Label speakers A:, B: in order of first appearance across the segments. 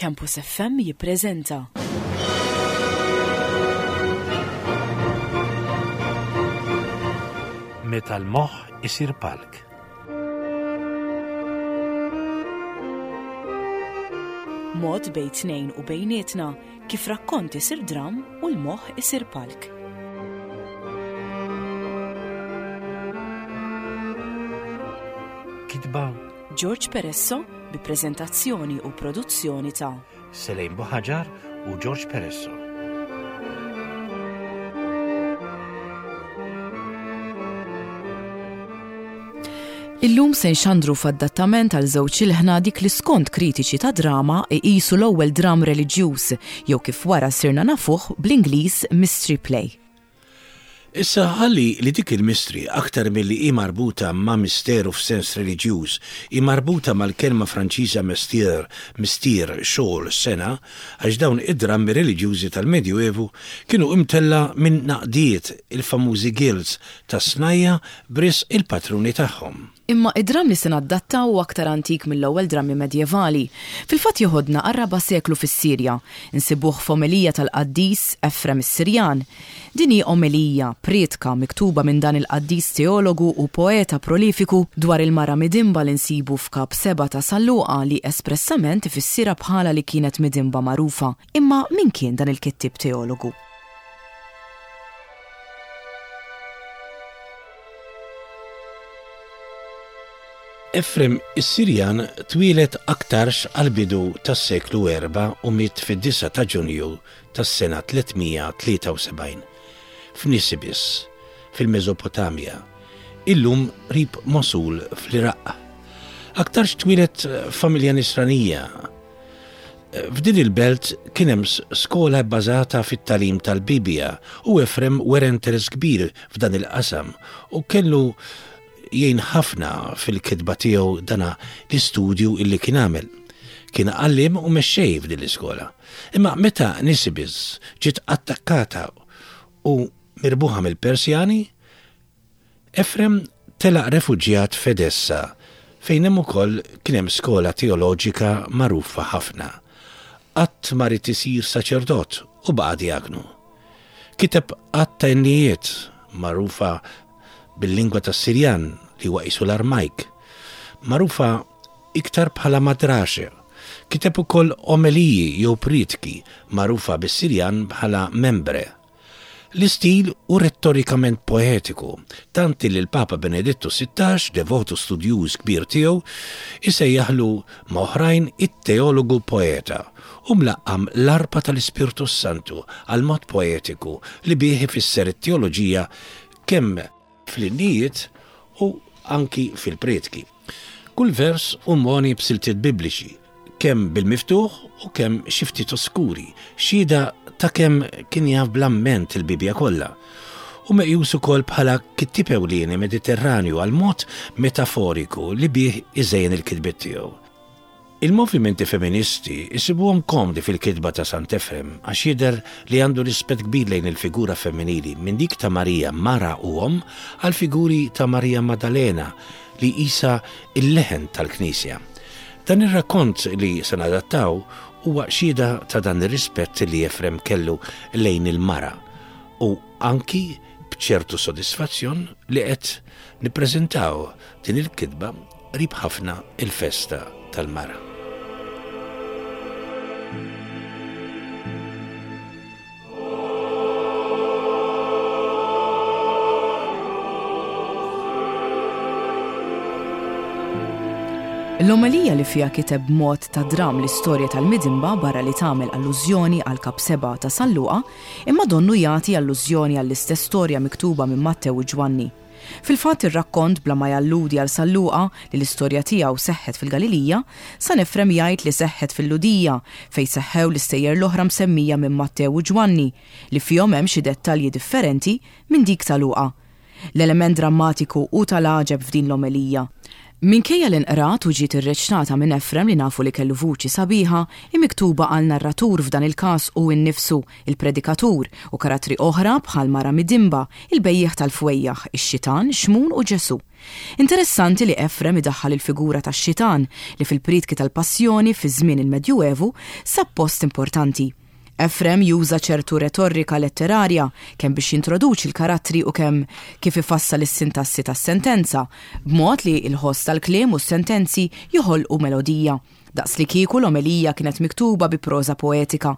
A: Campus FM jippreżenta.
B: Meta l-moħħ isir palk.
A: Mod bejn tnejn u bejnietna kif rakkont isir dramm u l-moħħ isir palk.
B: Kitba
A: George Peresso bi preżentazzjoni u produzzjoni ta'
B: Selejn Buħaġar u George Peresso.
A: Illum se nxandru f'adattament għal żewġ ilħna dik li skont kritiċi ta' drama iqisu l-ewwel dramm reliġjuż jew kif wara sirna nafuh bl-Ingliż mystery play.
B: Issa ħalli li dik il-mystery aktar milli hi marbuta ma' misteru f'sens reliġjuż, hi marbuta mal-kelma Franċiża mestier, mistier, xogħol, sengħa, għax dawn id-drammi reliġjużi tal-Medjuevu kienu imtellgħa minn għaqdiet, il-famużi guilds, tas-snajja' b'risq il-patruni tagħhom.
A: Imma id-dramm li se naddattaw hu aktar antik mill-ewwel drammi medjevali. Fil-fatt joħodna għar-raba' seklu fis-Sirja. Insibuh f'omelija tal-qaddis Efrem is-Sirjan. Din hi omelija, prietka, miktuba minn dan il-qaddis teologu u poeta prolifiku dwar il-mara midinba li nsibu f'Kap 7 ta' San Luqa li espressament ifissirha bħala li kienet midinba magħrufa. Imma min kien dan il-kittieb teologu?
B: Efrem is-Sirjan twieled aktarx għall-bidu tas-seklu erbgħa u miet fid-disgħa ta' Ġunju tas-sena 373, f'Nisibis, fil-Mesopotamja, illum qrib Mosul fl-Iraq. Aktarx twieled f'familja Nisranija. F'din il-belt kien hemm skola bbażata fit-tagħlim tal-Bibbja u Efrem wera interess kbir f'dan il-qasam u kellu jgħin ħafna fil-kitba tiegħu dana l-istudju illi kien għamel. Kien għalliem u mexxej f'din l-iskola. Imma meta Nisibis ġiet attakkata u mirbuħa mill-Persjani, Efrem telaq refuġjat f'Edessa, fejn hemm ukoll kien hemm skola teoloġika magħrufa ħafna. Qatt ma ried isir saċerdot u baqa' djaknu. Kiteb għadd ta' innijiet, magħrufa bil-lingwa tas-Sirjan li huwa qisu l-Armajk, magħrufa iktar bħala madraxe. Kiteb ukoll omeliji jew prietki, magħrufa bis-Sirjan bħala membre. L-istil hu rettorikament poetiku, tant illi l-Papa Benedittu 16, devot u studjuż kbir tiegħu, isejjaħlu ma' oħrajn it-teologu poeta u mlaqqam l-arpa tal-Ispirtu s-Santu għall-mod poetiku li bih ifisser it-teoloġija kemm fl-innijiet u anki fil-prietki. Kull vers hu mogħni b'siltiet Bibliċi, kemm bil-miftuħ u kemm xi ftit oskuri, xhieda ta' kemm kien jaf bl-amment il-Bibbja kollha. Hu meqjus ukoll bħala kittieb ewlieni Mediterranju għall-mod metaforiku li bih iżejjen il-kitbiet tiegħu. Il-movimenti feministi jsibuhom komdi fil-kitba ta' Sant'Efrem għax jidher li għandu rispett kbir lejn il-figura femminili minn dik ta' Marija mara u omm għall-figuri ta' Marija Maddalena li qisha l-leħen tal-Knisja. Dan ir-rakkont li se nadattaw huwa xhieda ta' dan ir-rispett li Efrem kellu lejn il-mara u anki b'ċertu sodisfazzjon li qed nippreżentaw din il-kitba qrib ħafna il-festa tal-mara.
A: L-omelija li fiha kiteb b'mod ta' dramm l-istorja tal-midinba barra li tagħmel allużjoni għal Kap 7 ta' San Luqa, imma donnu jagħti allużjoni għall-istess storja miktuba minn Mattew u Ġwanni. Fil-fatt ir-rakkont bla ma jalludi għal San Luqa li l-istorja tiegħu seħħet fil-Galilija, San Efrem jgħid li seħħet fil-Lhudija, fejn seħħew l-istejjer l-oħra msemmija minn Mattew u Ġwanni, li fihom hemm xi dettalji differenti minn dik ta' Luqa. L-element drammatiku hu tal-għaġeb f'din l-omelija. Minkejja li nqrat u ġiet irreċtata minn Efrem li nafu li kellu vuċi sabiħa, hi miktuba għal narratur f'dan il-każ hu nnifsu, il-predikatur, u karattri oħra bħal mara midinba, il-bejjiegħ tal-fwejjaħ, ix-xitan, Xmun u Ġesù. Interessanti li Efrem idaħħal il-figura tax-xitan, li fil-prietki tal-Passjoni fi żmien il-Medjuevu sab post importanti. Efrem juża ċertu retorika letterarja kemm biex jintroduċi l-karattri u kemm kif ifassal is-sintassi tas-sentenza, b'mod li l-ħoss tal-kliem u s-sentenzi joħolqu melodija, daqslikieku l-omelija kienet miktuba bi proża poetika.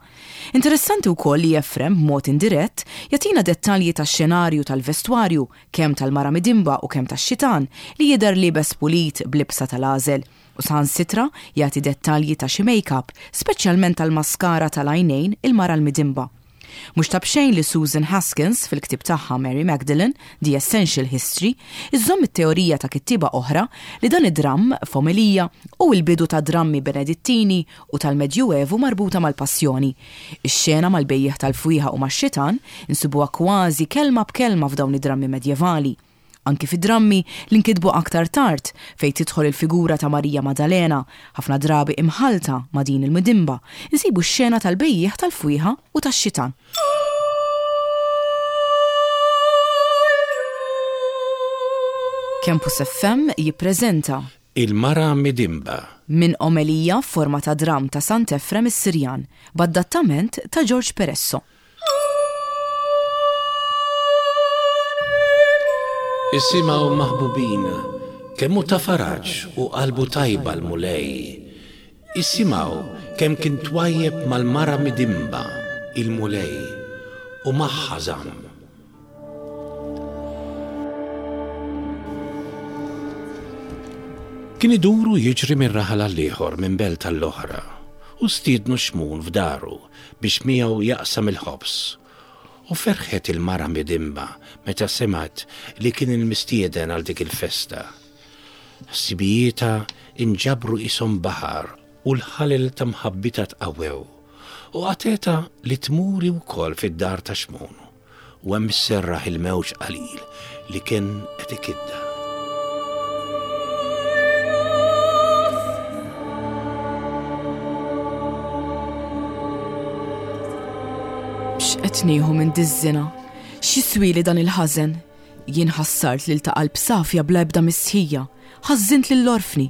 A: Interessanti wkoll li Efrem, b'mod indirett, jagħtina dettalji tax-xenarju tal-vestwarju, kemm tal-mara midinba u kemm tax-xitan, li jidher liebes pulit b'libsa tal-għażel. U saħansitra jagħti dettalji ta' xi make-up, speċjalment tal-maskara tal-għajnejn il-mara l-midinba. Mhux ta' b'xejn li Susan Haskins, fil-ktieb tagħha Mary Magdalene, The Essential History, iżżomm it-teorija ta' kittieba oħra li dan id-dramm, f'omelija, hu l-bidu ta' drammi Benedittini u tal-Medjuevu marbuta mal-Passjoni. Ix-xena mal-bejjiegħ tal-fwieħa u max-xitan insibuha kważi kelma b'kelma f'dawn id-drammi medjevali. Anki fi drammi li nkitbu aktar tard, fejn tidħol il-figura ta' Marija Madalena, ħafna drabi imħallta ma' din il-midinba, insibu x-xena tal-bejjiegħ tal-fwieħa u tax-xitan. Campus FM jippreżenta.
B: Il-Mara Midinba.
A: Minn omelija f'forma ta' dramm ta' Sant'Efrem is-Sirjan, b'adattament ta' Ġorġ Peresso.
B: Isimgħu maħbubin, kemm hu ta' faraġ u qalbu tajba l-Mulej. Isimgħu kemm kien twajjeb mal-mara midinba, il-Mulej, u magħha żamm. Kien idur u jiġri minn raħal għall-ieħor, minn belt għall-oħra, u stiednu Xmun f'daru biex miegħu jaqsam il-ħobż. U ferħet il-mara midinba meta semgħet li kien il-mistieden għal dik il-festa. Ħsibijietha inġabru qishom baħar u l-ħalel ta' mħabbitha tqawwew, u qatgħetha li tmur hi wkoll fid-dar ta' Xmun. U hemm isserraħ il-mewġ qalil li kien qed ikiddha.
A: X'qed nieħu minn diż-żina? X'jiswieli dan il-ħażen? Jien ħassart lil ta' qalb safja bla ebda mistħija, ħażżint lill-orfni,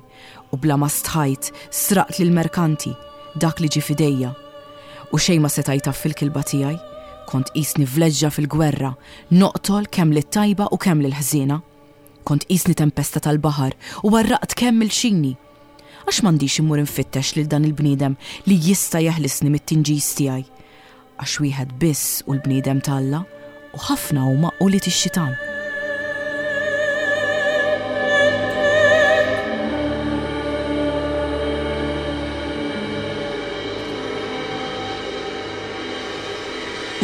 A: u bla ma stħajt sraqt lill-merkanti dak li ġie f'idejja. U xejn ma seta' jtaffi l-kilba tiegħi, kont qisni vleġġa fil-gwerra, noqtol kemm lit-tajba u kemm lill-ħżiena. Kont qisni tempesta tal-baħar u għarraqt kemm il-xini. Għax m'għandix immur infittex lil dan il-bniedem li jista' jeħlisni mit-tinġis tiegħi? Għax wieħed biss hu l-bniedem ta' Alla, u ħafna huma ulied ix-xitan.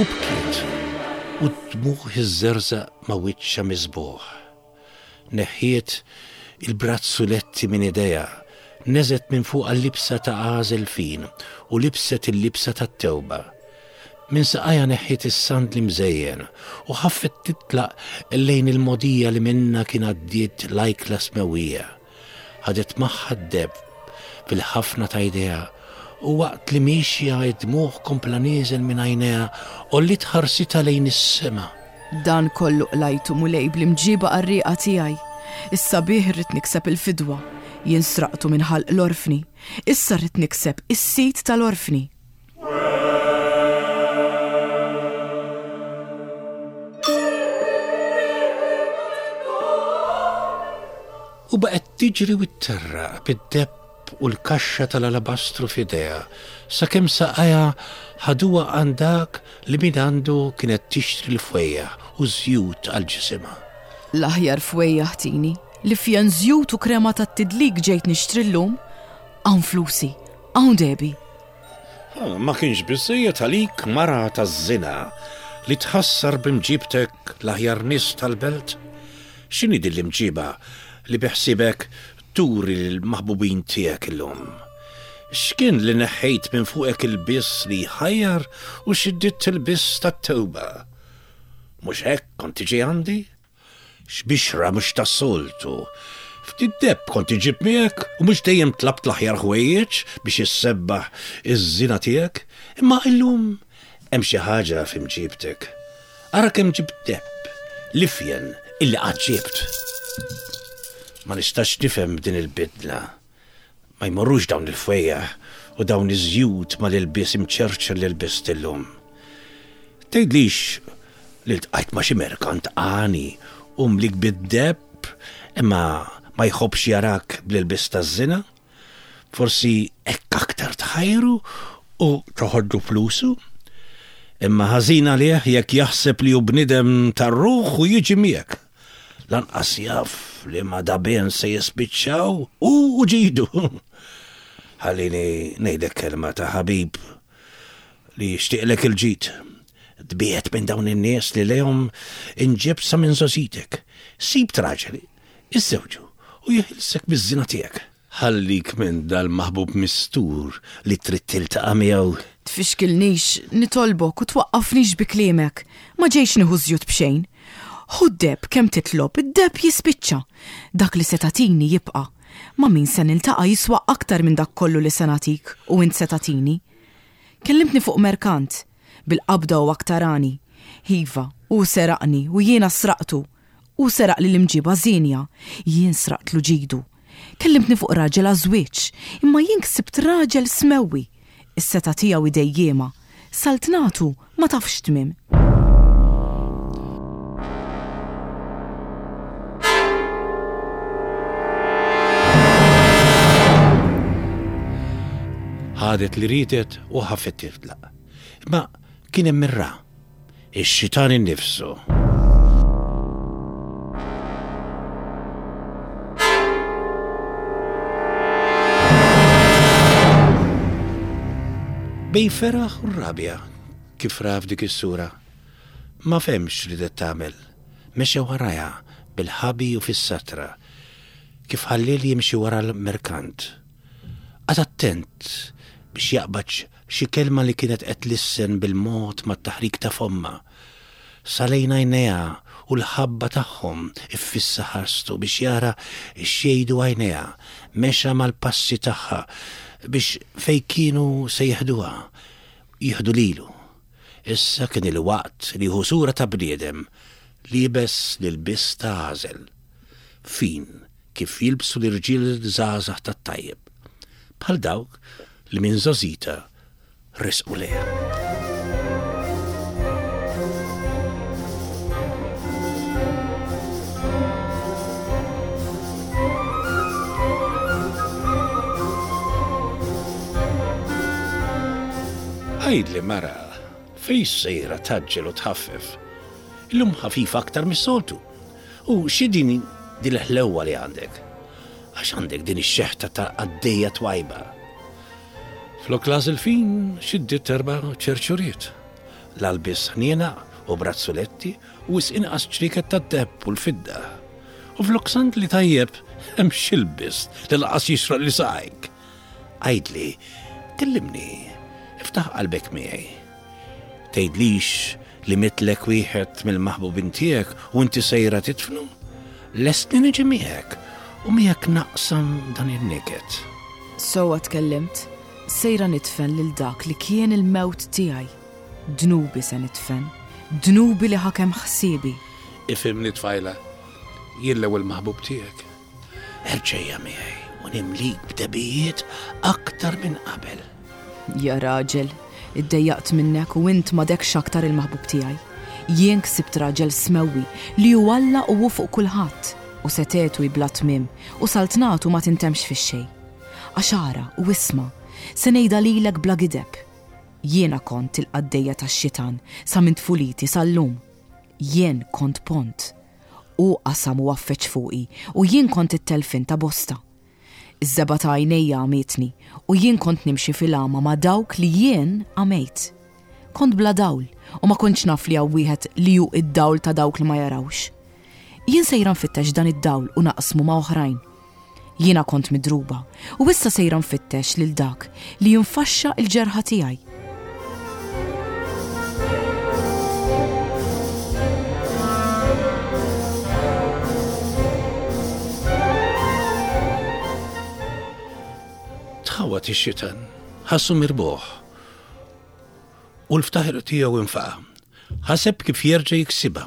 B: U bkiet, u d-dmugħ iżżerżaq ma' wiċċha miżbugħ. Neħħiet il-brazzuletti minn idejha, neżgħet minn fuqha l-libsa ta' għażel fin u libset il-libsa tat-tewba. Minn saqajha neħħiet is-sandli mżejjen u ħaffet titlaq lejn il-mogħdija li minnha kien għaddiet l-ajkla smewwija. Ħadet magħha d-deheb fil-ħafna ta' jdejha u waqt li miexja id-dmugħ kompla nieżel minn għajnejha għolliet ħarsitha lejn is-sema.
A: Dan kollu qlajtu, Mulej, bl-imġiba qarrieqa tiegħi. Issa bih irrid nikseb il-fidwa. Jien sraqtu minn ħalq l-orfni. Issa rrid nikseb is-sid tal-orfni.
B: U baqgħet tiġri u tterraq bid-deheb u l-kaxxa tal-alabastru f'idejha, sakemm saqajha ħaduha għand dak li mingħandu kienet tixtri l-fwejjaħ u ż-żjut għal ġisimha.
A: L-aħjar fwejjaħ tini, l-ifjen żjut u krema tat-tidlik ġejt nixtri llum. Hawn flusi, hawn dehbi.
B: Ma kienx biżżejjed għalik, mara taż-żina, li tħassar b'imġibtek l-aħjar nies tal-belt? X'inhi din l-imġiba li biħsiebek turi lill-maħbubin tiegħek illum? X'kien li neħħejt minn fuqek ilbies li jħajjar u xiddidt ilbies tat-tewba? Mhux hekk kont tiġi għandi? X'bixra mhux tas-soltu! Ftit deheb kont iġġib miegħek u mhux dejjem tlabt l-aħjar ħwejjeġ biex issebbaħ iż-żina tiegħek, imma illum hemm xi ħaġa fi mġiebtek. Ara kemm ġibt deheb, l-ifjen illi qatt ġibt. Ma nistax nifhem din il-bidla. Ma jmorrux dawn il-fwejjaħ u dawn iż-żjut mal-ilbies imċerċer li lbist illum. Tgħidlix li ltqajt ma' xi merkant għani u mlik bid-deheb imma ma jħobbx jarak bl-ilbies taż-żina? Forsi hekk aktar tħajru u toħodlu flusu? Imma ħażin għalih jekk jaħseb li hu bniedem tar-ruħ u jiġi miegħek. Lanqas jaf li ma' dabien se jispiċċaw hu u ġidu. Ħallini ngħidlek kelma ta' ħabib li jixtieqlek il-ġid. Tbiegħed minn dawn in-nies li lejhom inġibt sa minn żgħożitek. Sibt raġel, iżżewġu u jeħilsek miż-żina tiegħek. Ħallik minn dal-maħbub mistur li trid tiltaqa' miegħu.
A: Tfixkilnix, nitolbok, u twaqqafnix bi kliemek. Ma ġejtx nieħu ż-żjut b'xejn. Ħu d-deheb kemm titlob, id-deheb jispiċċa. Dak li se tagħtini jibqa'. Ma' min se niltaqa' jiswa aktar minn dak kollu li se nagħtik u int se tagħtini. Kellimtni fuq merkant. Bil-qabda u aktar għani. Iva, hu seraqni u jiena sraqtu. Hu seraqli l-imġiba żienja, jien sraqtlu ġidu. Kellimtni fuq raġel għaż-żwieġ, imma jien ksibt raġel smewwi. Is-setgħa tiegħu hi dejjiema, saltnatu ma tafx tmiem.
B: Ħadet li riedet u ħafet titlaq. Imma kien hemm ir-ra. Ix-xitan innifsu. Bejn feraħ u rabja kif ra f'dik is-sura. Ma fehmx x'ridet tagħmel. Mexa warajha bil-ħabi u fis-satra, kif ħalliel jimxi wara l-merkant. Qagħad attent biex jaqbad xi kelma li kienet qed tlissen bil-mod mat-taħrik ta' fommha. Sa lejn għajnejha u l-ħabba tagħhom iffissa ħarstu biex jara x'jgħidu għajnejha, mexa mal-passi tagħha biex fejn kienu se jeħduha, jieħdu lilu. Issa kien il-waqt li jieħu sura ta' bniedem, liebes l-ilbies ta' għażel, fin kif jilbsu l-irġiel żgħażagħ tat-tajjeb, bħal dawk li minn żgħożita resqu lejha. Għidli mara, fejn sejra tgħaġġel u tħaffef? Illum ħafifa aktar mis-soltu. U xi din din il-ħlewwa li għandek? Għax għandek din ix-xeħta ta' qaddejja twajba. Flok l-għażel fin xiddiet erba' ċerċuriet. L-għalbies ħniena u brazzuletti u wisq inqas ċrieket tad-deheb u l-fidda. U flok sandli tajjeb hemm x'ilbist li lanqas jixraq li saqajk. Għidli, kellimni, iftaħ qalbek miegħi. Tgħidlix li mietlek wieħed mill-maħbubin tiegħek u inti sejra tidfnu? Lest li niġi miegħek u miegħek naqsam dan in-niket.
A: Sewwa tkellimt, sejra nidfen lil dak li kien il-mewt tiegħi. Dnubi se nidfen, dnubi li ħakem ħsiebi.
B: Ifhimni tfajla, jien l-ewwel maħbub tiegħek. Erġa' ejja miegħi u nimlik b'dehbijiet aktar minn qabel.
A: Ja raġel, iddejjaqt minnek u int m'għadekx aktar il-maħbub tiegħi. Jien ksibt raġel smewwi, li hu Alla u hu fuq kulħadd, u setgħetu hi bla tmiem, u saltnatu ma tintemmx fix-xejn. Għax ara, u isma', se ngħidha lilek bla gideb. Jiena kont il-qaddejja tax-xitan sa minn tfuliti sal-lum. Jien kont pont. Hu qasam u għaffeġ fuqi, u jien kont it-telfien ta' bosta. Iż-żebgħa ta' għajnejja għamietni, u jien kont nimxi fil-għama ma' dawk li jien għamejt. Kont bla dawl, u ma kontx naf li hawn wieħed li hu d-dawl ta' dawk li ma jarawx. Jien sejra nfittex dan id-dawl u naqsmu ma' oħrajn. Jiena kont midruba, u issa sejra nfittex lil dak li jinfaxxa l-ġerħa tiegħi.
B: Tħawwad ix-xitan, ħassu mirbuħ. U l-ftaħir tiegħu infaqa'. Ħaseb kif jerġa' jiksibha.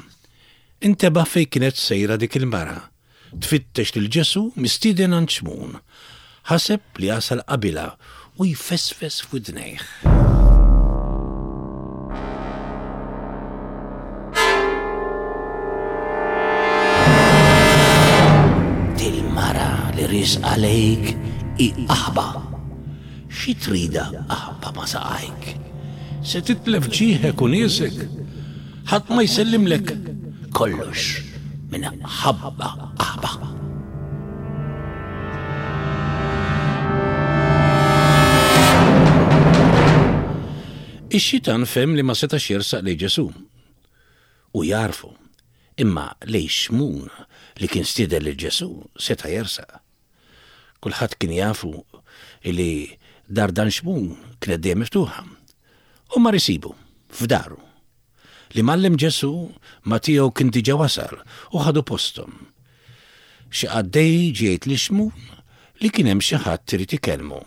B: Intebaħ fejn kienet sejra dik il-mara. Tfittex lil Ġesù mistieden għand Xmun. Ħaseb li jasal qabilha u jfesfes f'widnejh. Dil-mara li riesqa lejk hi qaħba. Xi tridha qaħba ma' saqajk? Se titlef ġieħek u niesek. Ħadd ma jsellimlek. Kollox minn ħabba qaħba. Ix-xitan fehem li ma setax jersaq lejn Ġesù u jagħrfu, imma lejn Xmun li kien stieden lil Ġesù seta' jersaq. Kulħadd kien jafu li dar dan Xmun kienet dejjem miftuħa. U mar isibu f'daru. L-Imgħallem Ġesù ma' tiegħu kien diġà wasal u ħadu posthom. Xi qaddej ġie jgħid lil Xmun li kien hemm xi ħadd irid ikellmu.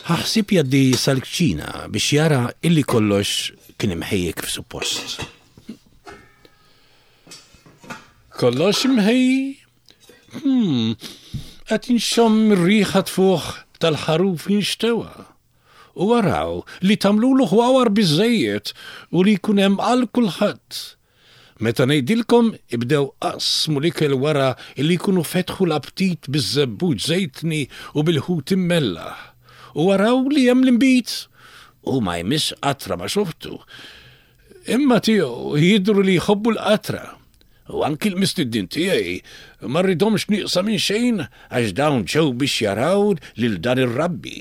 B: Ħa ħsieb jgħaddi sal-kċina biex jara illi kollox kien imħejji kif suppost. Kollox imħejji? Hmm, qed inxomm ir-riħa tfuħ tal-ħaruf jinxtewa. U araw li tagħmlulu ħwawar biżżejjed u li jkun hemm għal kulħadd. Meta ngħidilkom ibdew qasmu l-ikel wara li jkunu fetħu l-aptit biż-żebbuġ żejtni u bil-ħut immellaħ. U araw li hemm l-inbid! Hu ma jmiss qatra ma' xortu. Imma tiegħu jidhru li jħobbu l-qatra. U anki l-mistednin tiegħi ma rridhomx nieqsa minn xejn għax dawn ġew biex jaraw lil dan ir-rabbi.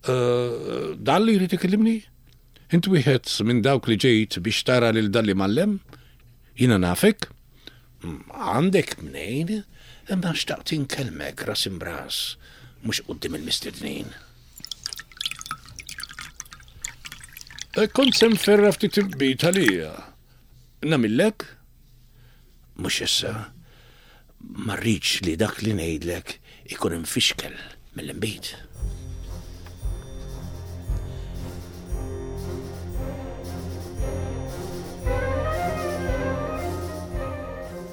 B: Eh, dan li jrid ikellimni? Int wieħed minn dawk li ġejt biex tara lil dan li mallem? Jiena nafek? Mm, għandek mnejn, imma xtaqt inkellmek ras imbras, mhux quddiem il-mistednin. Eh, kont se nferra ftit imbit għalija. Nagħmillek? Mhux issa. Ma rridx li dak li ngħidlek ikun imfixkel mill-inbid.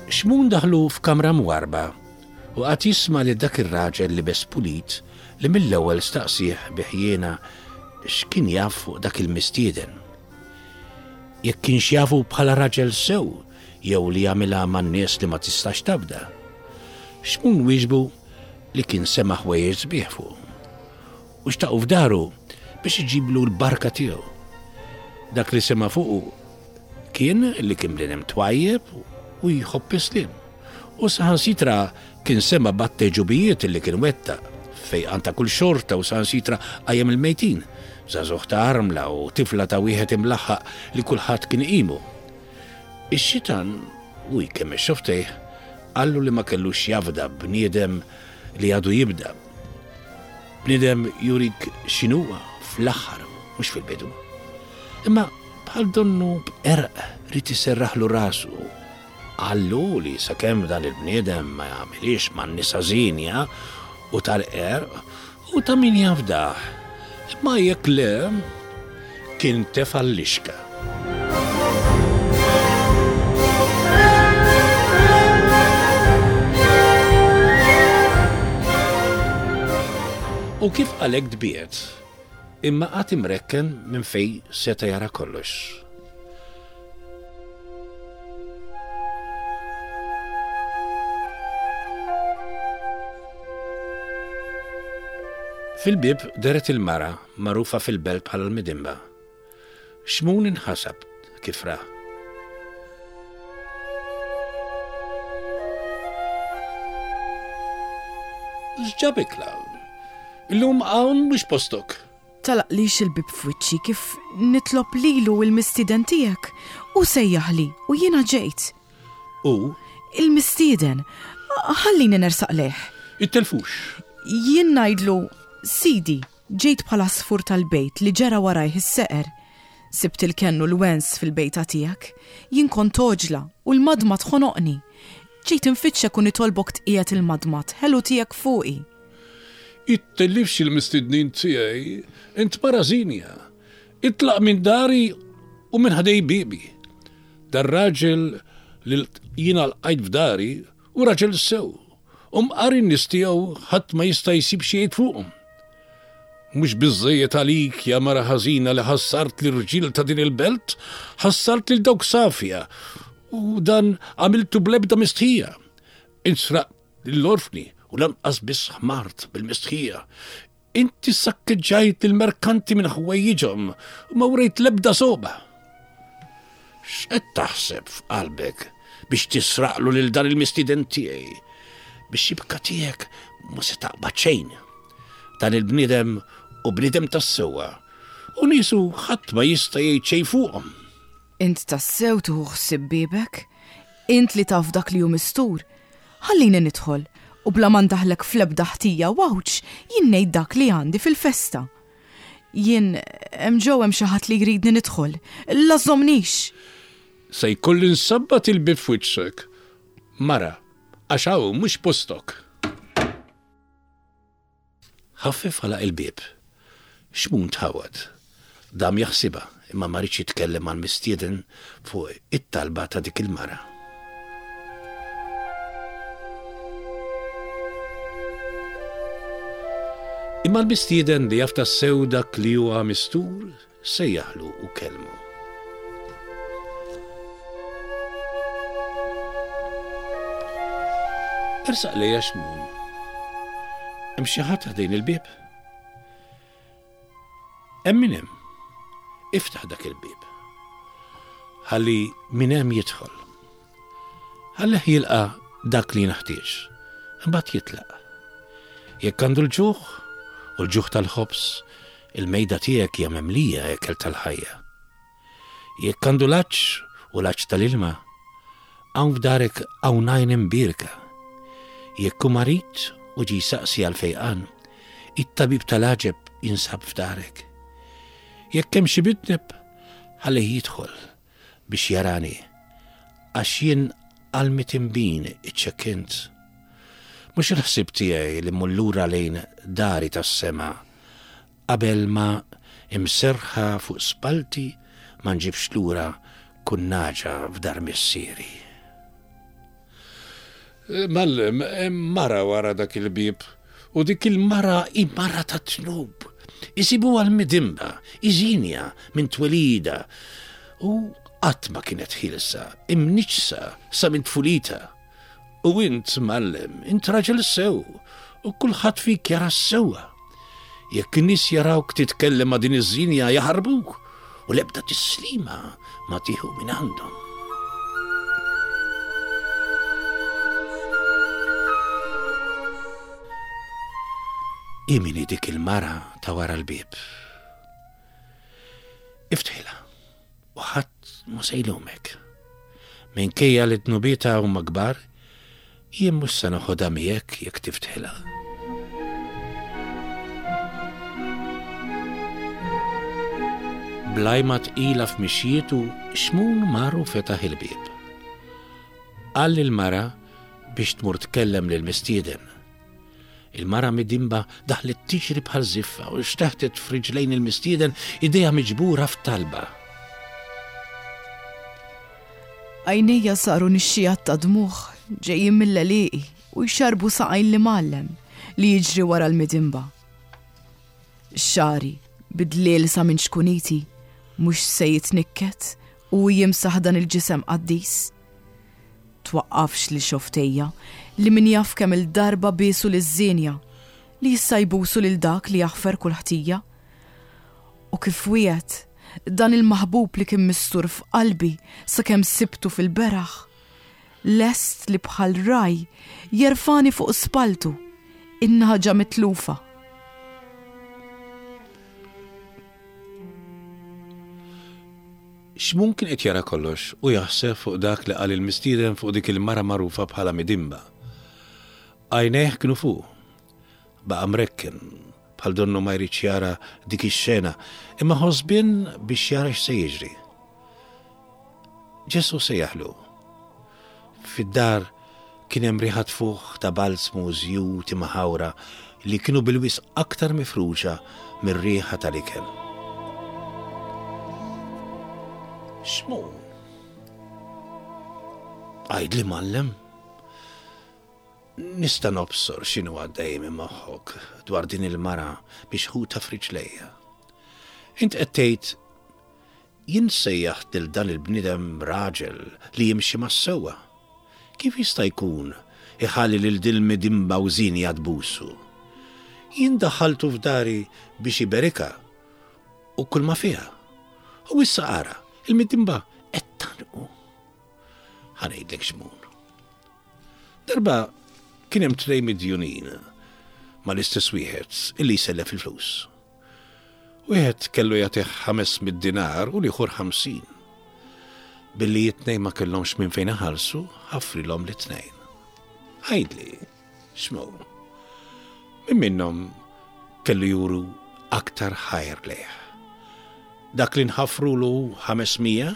B: Xmun daħlu f'kamra mwarrba u qagħad jisma' lil dak ir-raġel libes pulit li mill-ewwel staqsieh bi ħjiena x'kien jaf fuq dak il-mistieden. Jekk kienx jafu bħala raġel sew jew li jagħmilha man-nies li ma tistax tafda. Xmun wieġbu li kien sema' ħwejjeġ sbieħ fuqu u xtaqu f'daru biex iġiblu l-barka tiegħu. Dak li sema' fuqu kien li kien bniedem twajjeb u jħobb is-sliem. U saħansitra kien sema' b'għadd li kien wettaq, fejqan ta' kull xorta u saħansitra qajjem il-mejtin, żagħżugħ ta' armla u tifla ta' wieħed imlaħħaq li kulħadd kien iqimu. Ix-xitan, u jkemmex xofftejh, qallu li ma kellux jafda bniedem li għadu jibda. Bniedem jurik x'inhuwa fl-aħħar, mhux fil-bidu. Imma bħal donnu b'qerq ried iserraħlu rasu Qallu li sakemm dan il-bniedem ma jagħmilhiex man-nisa żienja u tal-qerq, hu ta' min jafdah. Imma jekk le, kien tefa' l-lixka. U kif qal hekk tbiegħed, imma qagħad imrekken minn fejn seta' jara kollox. Fil-bieb dehret il-mara magħrufa fil-belt bħala l-Midinba. Xmun inħasab kif ra. X'ġabek 'l hawn? Illum hawn mhux postok.
A: Tagħlaqlix il-bieb f'wiċċi kif nitlob lilu il-mistieden tiegħek. Hu sejjaħli u jiena ġejt.
B: Hu?
A: Il-mistieden. Ħallini nersaq lejh.
B: Ittelfux.
A: Jien ngħidlu, Sidi, ġejt bħal għasfur tal-bejt li ġera warajh is-seqer. Sibt il-kenn u l-wens fil-bejta tiegħek. Jien kont għoġla u l-madmad ħonoqni. Ġejt infittxek u nitolbok tqiegħed il-madmad ħelu tiegħek fuqi.
C: Ittellifx il-mistednin tiegħi, int mara żienja. Itlaq minn dari u minn ħdej biebi. Dar-raġel li jiena lqajt f'dari hu raġel sew, u mqar in-nies tiegħu ħadd ma jista' jsib xi jgħid fuqhom. Mhux biżżejjed għalik, ja mara ħażina, li ħassart l-irġiel ta' din il-belt, ħassart lil dawk safja, u dan għamiltu bl-ebda mistħija. Int sraqt lill-orfni u lanqas biss ħmart bil-mistħija. Inti sakkeġġajt lill-merkanti minn ħwejjiġhom u ma wrejt l-ebda sogħba. X'qed taħseb f'qalbek biex tisraqlu lil dan il-mistieden tiegħi? Bix-xibka tiegħek mhu se taqbad xejn. Dan il-bniedem hu bniedem tas-sewwa, u niesu ħadd ma jista' jgħid xejn fuqhom.
A: Int tassew tieħu ħsieb biebek? Int li taf dak li hu mistur? Ħallini nidħol, u bla ma ndaħħlek fl-ebda ħtija u għawġ, jien ngħid dak li għandi fil-festa. Jien, hemm ġew hemm xi ħadd li jridni nidħol. La żżommnix!
C: Se jkolli nsabbat il-bieb f'wiċċek, mara, għax hawn mhux postok.
B: Ħaffef għalaq il-bieb. Xmun tħawwad. Dam jaħsibha, imma ma riedx jitkellem mal-mistieden fuq it-talba ta' dik il-mara.
C: Imma l-mistieden li jaf tassew dak li huwa mistur, Sejjaħlu u kellmu.
B: Ersaq lejja Xmun. Hemm xi ħadd ħdejn il-bieb? Hemm min hemm. Iftaħ dak il-bieb. Ħalli min hemm jidħol. Ħallih jilqa' dak li jinħtieġ, imbagħad jitlaq. Jekk għandu l-ġuħ, u l-ġuħ tal-ħobż, il-mejda tiegħek hija mimlija ekel tal-ħajja. Jekk għandu l-għatx u l-għatx tal-ilma, hawn f'darek hawn għajn imbierka. Jekk hu marid u ġie jsaqsi għall-fejqan, it-tabib tal-għaġeb jinsab f'darek. Jekk hemm xi midneb, ħallih jidħol biex jarani, għax jien għall-mitinbin iċċekkint. Mhux il-ħsieb tiegħi li mmur lura lejn dari tas-sema qabel ma, imserrħa fuq spallti, ma nġibx lura kull nagħġa f'dar missieri.
C: Mgħallem, hemm mara wara dak il-bieb, u dik il-mara hi mara tad-dnub. Isibuha l-midinba, hi żienja minn twelidha, u qatt ma kienet ħielsa, imniġġsa sa minn tfulitha. U int, Mgħallem, int raġel sew, u kulħadd fik jara s-sewwa. Jekk in-nies jarawk titkellem ma' din iż-żienja jaħarbuk, u l-ebda tislima ma tieħu minn għandhom.
B: Hi min hi dik il-mara ta' wara l-bieb? Iftħilha. U ħadd mhu se jlumek. Minkejja li dnubietha huma kbar, jien mhux se noħodha miegħek jekk tiftħilha. Bl-għajma tqila f'mixjietu, Xmun mar u fetaħ il-bieb. Qal lill-mara biex tmur tkellem lill-mistieden. Il-mara midinba daħlet tiġri bħal żiffa u xteħtet f'riġlejn il-mistieden idejha miġbura f'talba.
A: Għajnejja saru nixxigħat ta' dmugħ ġejjin mill-għelieqi u jxarrbu saqajn l-imgħallem li jiġri wara l-midinba. Xagħri, bidliel sa minn ċkuniti, mhux se jitnikket u jimsaħ dan il-ġisem qaddis. Twaqqafx lil xofftejja, li min jaf kemm-il darba biesu liż-żienja, li issa jbusu lil dak li jaħfer kull ħtija. U kif wiegħed, dan il-maħbub li kien mistur f'qalbi sakemm sibtu fil-beraħ, lest li bħal ragħaj jerfagħni fuq spalltu, in-nagħġa mitlufa.
B: Xmun kien qed jara kollox u jaħseb fuq dak li qal il-mistieden fuq dik il-mara magħrufa bħala Midimba. Għajnejh kienu fuqu. Baqa' mrekken, bħal donnu ma jridx jara dik ix-xena, imma ħosbien biex jara x'se jiġri. Ġesù sejjaħlu. Fid-dar kien hemm riħa tfuħ ta' balzmu u żjut imħawra. li kienu bil-wisq aktar mifruxa mir-riħa tal-ikel. Xmun? Għidli mgħallem. Nista' nobsor x'inhu għaddej minn moħħok dwar din il-mara mixħuta f'riġlejja. Int qed tgħid jien sejjaħt lil dan il-bniedem raġel li jimxi mas-sewwa. Kif jista' jkun iħalli lil din il-midimba u żienja tbusu? Jien daħħaltu f'dari biex iberikha u kulma fiha. U issa ara, il-midimba qed tgħannqu. Ħa ngħidlek x'mun. Darba kien hemm tnejn midjunin mal-istess wieħed illi jsellef il-flus. Wieħed kellu jagħtih 500 dinar u l-ieħor 50. Billi it-tnejn ma kellhomx minn fejn iħallsu, ħafrilhom lit-tnejn. Għidli, x'mun? Min minnhom kellu juru aktar ħajr lejh? Dak li nħafrulu 500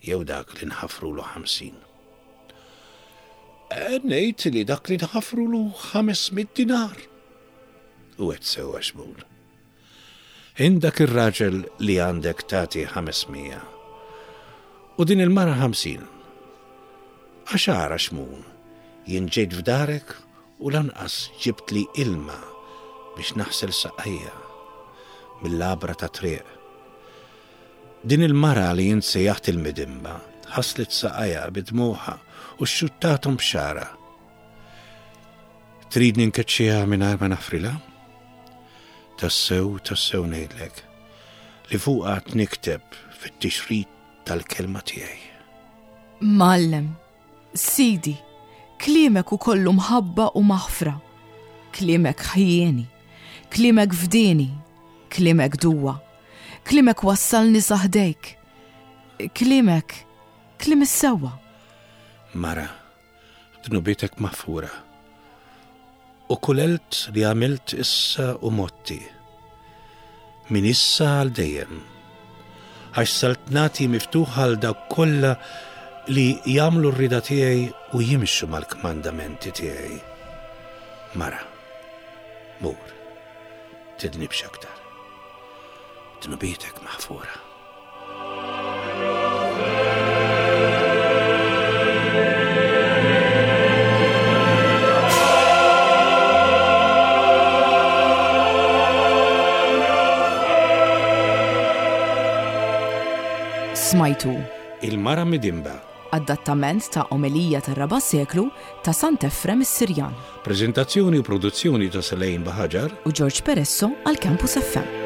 B: jew dak li nħafrulu 50? Ngħid li dak li nħafrulu 500 dinar. U għedt sewwa Xmun. Int dak ir-raġel li għandek tagħti 500. U din il-mara 50. Għax ara Xmun, jien ġejt f'darek u lanqas ġibtli ilma biex naħsel saqajja mill-għabra tat-triq. Din il-mara li int sejjaħt il-midimba ħaslet saqajha bi dmugħha u xxuttathom b'xagħarha. Tridni nkeċċiha mingħajr ma naħfrilha? Tassew, tassew ngħidlek li fuqha għad nikteb fit-tixrid tal-kelma tiegħi.
A: Mgħallem, Sidi, kliemek hu kollu mħabba u maħfra. Kliemek ħjieni, kliemek fdieni, kliemek duwa. Kliemek wassalni sa ħdejk. Kliemek, kliem is-sewwa.
B: Mara, dnubietek maħfura. U kull għelt li għamilt issa u motti. Minn issa għal dejjem. Għax saltnati miftuħa għal dawk kollha li jagħmlu r-rieda tiegħi u jimxu mal-kmandamenti tiegħi. Mara, mur, tidnibx aktar. Dnubietek maħfura.
A: Smajtu.
B: Il-Mara Midimba.
A: Adattament ta' Omelija tar-Raba' Seklu ta' Sant'Efrem is-Sirjan.
B: Preżentazzjoni u produzzjoni ta' Selaine Bahaġar
A: u George Peresso għal Campus FM.